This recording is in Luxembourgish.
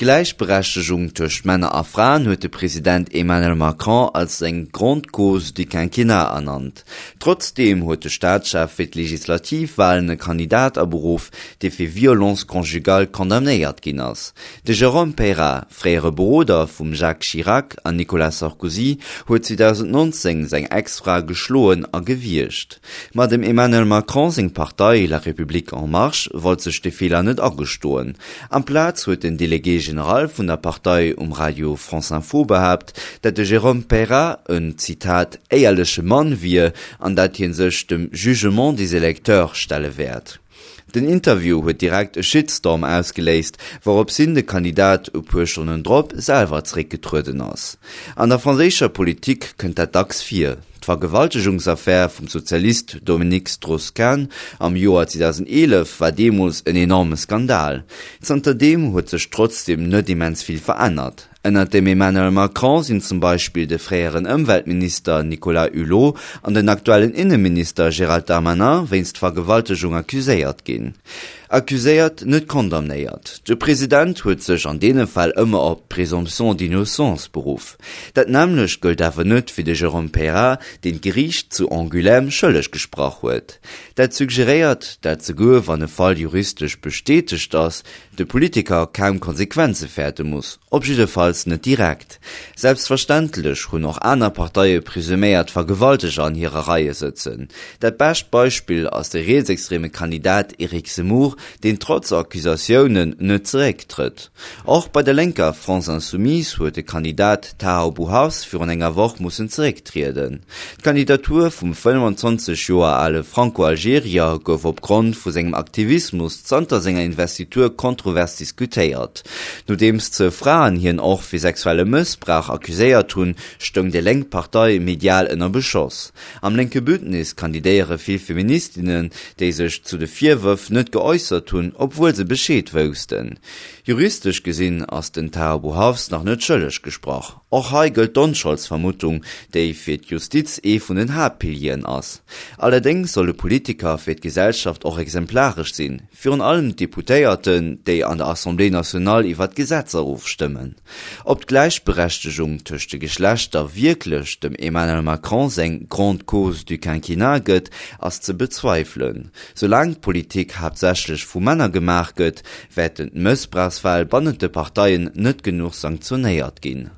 D'Gläichberechtegung tëscht Männer a Fraen huet de President Emmanuel Macron als seng grande cause du quinquennat ernannt. Trotzdeem huet de Staatschef fir d'Legislativwalen e Kandidat aberuff, dee fir Violence conjugale condamnéiert ginn ass. De Jérôme Peyrat, fréiere Beroder vum Jacques Chirac an Nicolas Sarkozy, huet 2019 seng Ex-Fra geschloen a gewiergt. Ma dem Emmanuel Macron seng Partei La République en Marche wollt sech de Feeler net agestoen. Amplaz huet den Délégué général vun der Partei um Radio France Info behaapt, dat de Jérôme Peyrat en, Zitat, éierleche Mann wier an dat hie sech dem Jugement des électeurs stelle wäert. Den Interview huet direkt e Shitstorm ausgeléist, wourops hin de Kandidat e puer Stonnen drop selwer zeréckgetrueden ass. An der franséischer Politik kënnt dat dacks vir. D'Vergewaltegungsaffär vum Sozialist Dominique Strauss-Kahn am Joer 2011 war deemools en enorme Skandal. Zanterdeem huet sech trotzdeem net immens vill verännert. Ënnert dem Emmanuel Macron sinn zum Beispill de fréieren Ëmweltminister Nicolas Hulot an den aktuellen Inneminister Gérald Darmanin wéinst Vergewaltegung accuséiert ginn. Accuséiert, net condamnéiert. De President huet sech an deene Fäll ëmmer op d'Présomption d'innocence beruff. Dat nämmlecht gëllt awer net fir de Jérôme Peyrat, deen d'Geriicht zu Angoulême schëlleg gesprach huet. Dat suggeréiert, dat souguer wann e Fall juristesch bestätegt ass, de Politiker kaum Konsequenze fäerte muss, op jiddefalls net direkt. Selbstverständlech hunn och aner Parteie presuméiert Vergewalteger an hire Reie sëtzen. Dat bescht Beispill ass de rietsextreme Kandidat Eric Zemmour, deen trotz Accusatiounen net zerécktrëtt. Och bei der lénker France Insoumise huet de Kandidat Taha Bouhafs virun enger Woch mussen zerécktrieden. D'Kandidatur vum 25 Joer ale Franco-Algerier gouf opgrond vu sengem Aktivismus zanter senger Investitur kontrovers diskutéiert. Nodeems zwou Fraen hien och fir sexuelle Mëssbrauch accuséiert hunn, stoung déi lénk Partei medial ënner Beschoss. Am lénke Bündnis kandidéiere vill Feministinnen, déi sech zu de Virwërf net geäussert hunn, obwuel se Bescheed woussten. Juristesch gesinn ass den Taha Bouhafs nach net schëlleg gesprach. Och hei gëllt d'Onscholdsvermuttung, déi fir d'Justiz ee vun den Haaptpilieren ass. Allerdéngs solle Politiker fir d'Gesellschaft och exemplaresch sinn, virun allem d'Deputéierten, déi an der Assemblée nationale iwwer d'Gesetzer ofstëmmen. Ob d'Gläichberechtegung tëscht de Geschlechter wierklech dem Emmanuel Macron seng grande cause du quinquennat gëtt, ass ze bezweifelen. Soulaang d'Politik haaptsächlech vu Männer gemaach gëtt, wäerten d'Mëssbrauchsfäll bannent de Parteien net genuch sanktionéiert ginn.